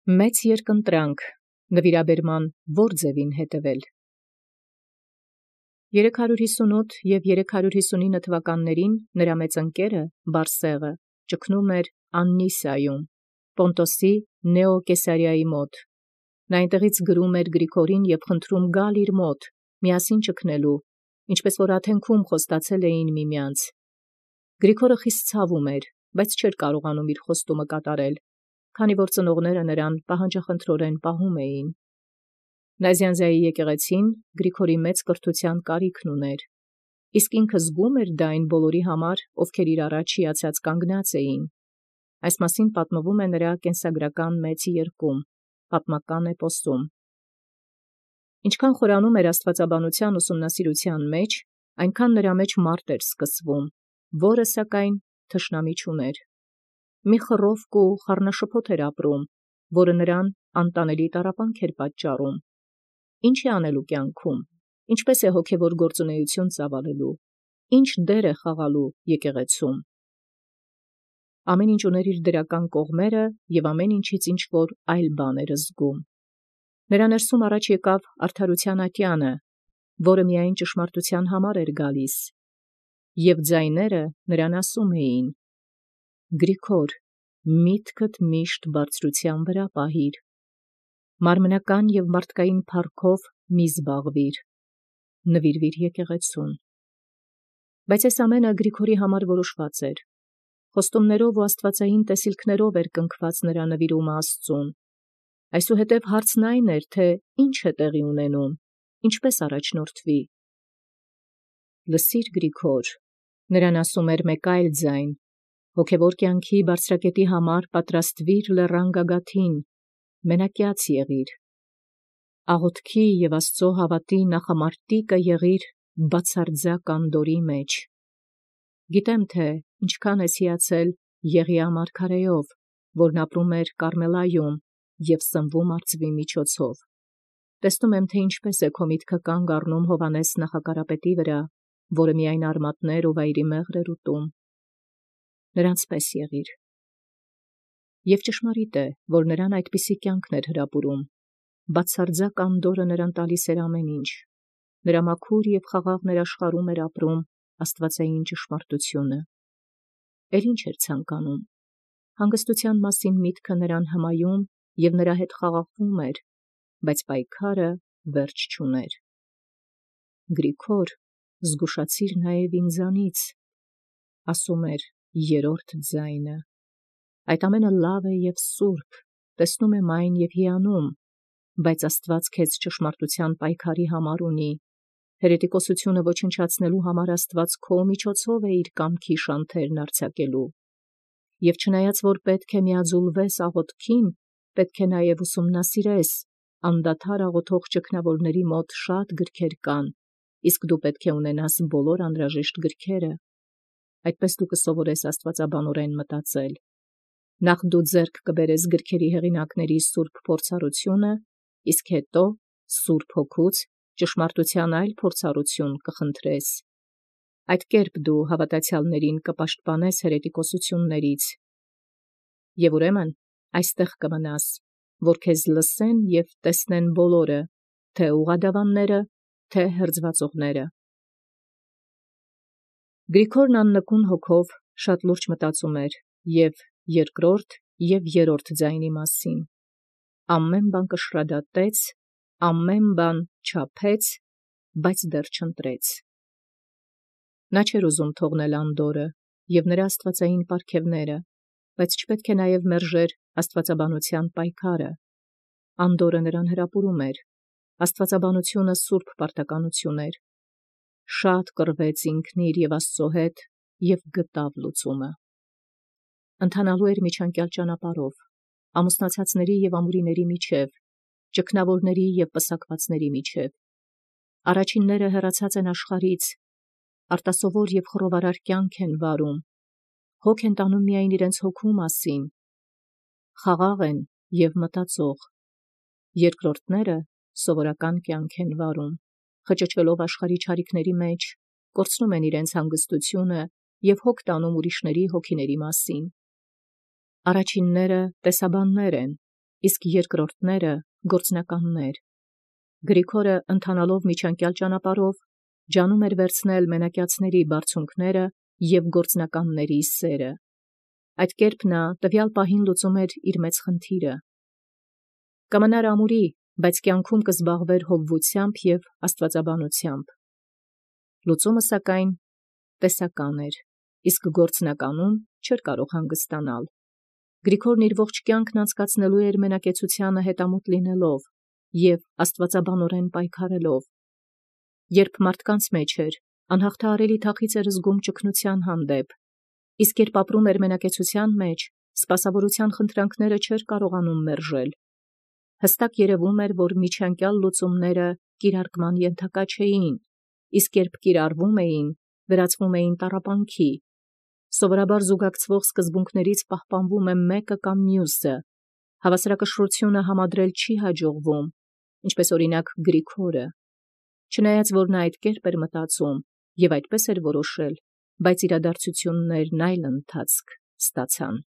Մեծ երկընտրանք նվիրաբերման ո՞ր ձևին հետևել։ 358 և 359 թվականներին նրա մեծ ընկերը Բարսեղը ճգնում էր Աննիսիայում, Պոնտոսի Նեո Կեսարիայի մոտ։ Նա այնտեղից գրում էր Գրիգորին և խնդրում գալ իր մոտ, միասին ճգնելու, ինչպես որ Աթենքում խոստացել էին միմյանց։ Գրիգորը խիստ ցավում էր, բայց չէր կարողանում իր խոստումը կատարել, քանի որ ծնողները նրան պահանջախնդրորեն պահում էին։ Նազյանզայի եկեղեցին Գրիգորի մեծ կրթության կարիքն ուներ, իսկ ինքը զգում էր դա այն բոլորի համար, ովքեր իր առաջ հիացած կանգնած էին։ Այս մասին պատմվում է նրա կենսագրական մեծ երկում, պատմական էպոսում։ Ինչքան խորանում էր աստվածաբանության ուսումնասիրության մեջ, այնքան նրա մեջ մարդ էր սկսվում, որը սակայն թշնամի չուներ։ Մի խռովք ու խառնաշփոթ էր ապրում, որը նրան անտանելի տառապանք էր պատճառում։ Ինչ է անելու կյանքում, ինչպես է հոգևոր գործունեություն ծավալելու, ինչ դեր է խաղալու եկեղեցում։ Ամեն ինչ ուներ իր դրական կողմերը և ամեն ինչից ինչ-որ այլ բան էր զգում։ Նրա ներսում առաջ եկավ արդարության ատյանը, որը միայն ճշմարտության համար էր գալիս, և ձայները նրան ասում էին. «Գրիգոր, միտքդ միշտ բարձրության վրա պահիր, մարմնական և մարդկային փառքով մի զբաղվիր, նվիրվիր եկեղեցուն»։ Բայց այս ամենը Գրիգորի համար որոշված էր։ Խոստումներով ու աստվածային տեսիլքներով էր կնքված նրա նվիրումը Աստծուն։ Այսուհետև հարցն այն էր, թե ինչ է տեղի ունենում, ինչպես առաջնորդվի։ «Լսիր, Գրիգոր», նրան ասում էր մեկ այլ ձայն, «հոգևոր կյանքի բարձրակետի համար պատրաստվիր լեռան գագաթին, մենակյաց եղիր, աղոթքի և Աստծո հավատի նախամարտիկը եղիր բացարձակ անդորի մեջ։ Գիտեմ, թե ինչքան ես հիացել Եղիա մարգարեով, որն ապրում էր Կառմելայում և սնվում արծվի միջոցով։ Տեսնում եմ, թե ինչպես է քո միտքը կանգ առնում Հովհաննես նախակարապետի վրա, որը միայն արմատներ ու վայրի մեղր էր ուտում։ Նրանց պես եղիր։ Եվ ճշմարիտ է, որ նրան այդպիսի կյանքն էր հրապուրում։ Բացարձակ անդորրը նրան տալիս էր ամեն ինչ։ Նրա մաքուր և խաղաղ ներաշխարհում էր ապրում աստվածային ճշմարտությունը։ Էլ ինչ էր ցանկանում։ Հանգստության մասին միտքը նրան հմայում և նրա հետ խաղաղվում էր, բայց պայքարը վերջ չուներ։ «Գրիգոր, զգուշացիր նաև ինձանից», ասում էր երրորդ ձայնը։ «Այդ ամենը լավ է և սուրբ, տեսնում եմ այն և հիանում, բայց Աստված քեզ ճշմարտության պայքարի համար ունի։ Հերետիկոսությունը ոչնչացնելու համար Աստված քո միջոցով է իր կամքի շանթերն արձակելու։ Եվ չնայած որ պետք է միաձուլվես աղոթքին, պետք է նաև ուսումնասիրես, անդադար աղոթող ճգնավորների մոտ շատ գրքեր կան, իսկ դու պետք է ունենաս բոլոր անհրաժեշտ գրքերը։ Այդպես դու կսովորես աստվածաբանորեն մտածել։ Նախ դու ձեռք կբերես գրքերի հեղինակների սուրբ փորձառությունը, իսկ հետո Սուրբ Հոգուց ճշմարտության այլ փորձառություն կխնդրես։ Այդ կերպ դու հավատացյալներին կպաշտպանես հերետիկոսություններից։ Եվ ուրեմն այստեղ կմնաս, որ քեզ լսեն և տեսնեն բոլորը, թե ուղղադավանները, թե հրձվածողները։ Գրիգորն աննկուն հոգով շատ լուրջ մտածում էր և երկրորդ և երրորդ ձայնի մասին։ Ամեն բան կշռադատեց, ամեն բան չափեց, բայց դեռ չընտրեց։ Նա չէր ուզում թողնել անդորրը և նրա աստվածային պարգևները, բայց չպետք է նաև մերժեր աստվածաբանության պայքարը։ Անդորրը նրան հրապուրում էր։ Աստվածաբանությունը սուրբ պարտականություն էր։ Շատ կռվեց ինքն իր և Աստծո հետ և գտավ լուծումը։ Ընթանալու էր միջանկյալ ճանապարհով, ամուսնացածների և ամուրիների միջև, ճգնավորների և պսակվածների միջև։ Առաջինները հեռացած են աշխարհից, արտասովոր և խռովարար կյանք են վարում, հոգ են տանում միայն իրենց հոգու մասին, խաղաղ են և մտածող։ Երկրորդները սովորական կյանք են վարում, խճճվելով աշխարհի չարիքների մեջ, կորցնում են իրենց հանգստությունը և հոգ տանում ուրիշների հոգիների մասին։ Առաջինները տեսաբաններ են, իսկ երկրորդները գործնականներ։ Գրիգորը ընթանալով միջանկյալ ճանապարհով ջանում էր վերցնել մենակյացների բարձունքները և գործնականների սերը։ Այդ կերպ նա տվյալ պահին լուծում էր իր մեծ խնդիրը։ Կմնար ամուրի, բայց կյանքում կզբաղվեր հովվությամբ և աստվածաբանությամբ։ Լուծումը սակայն տեսական էր, իսկ գործնականում չէր կարող հանգստանալ։ Գրիգորն իր ողջ կյանքն անցկացնելու էր մենակեցությանը հետամուտ լինելով և աստվածաբանորեն պայքարելով։ Երբ մարդկանց մեջ էր, անհաղթահարելի թախիծ էր զգում ճգնության հանդեպ, իսկ երբ ապրում էր մենակեցության մեջ, սպասավորության խնդրանքները չէր կարողանում մերժել։ Հստակ երևում էր, որ միջանկյալ լուծումները կիրարկման ենթակա չէին, իսկ երբ կիրառվում էին, վերածվում էին տառապանքի։ Սովորաբար զուգակցվող սկզբունքներից պահպանվում է մեկը կամ մյուսը, հավասարակշռությունը համադրել չի հաջողվում, ինչպես օրինակ Գրիգորը։ Չնայած որ նա այդ կերպ էր մտածում և այդպես էր որոշել, բայց իրադարձություններն այլ ընթացք ստացան։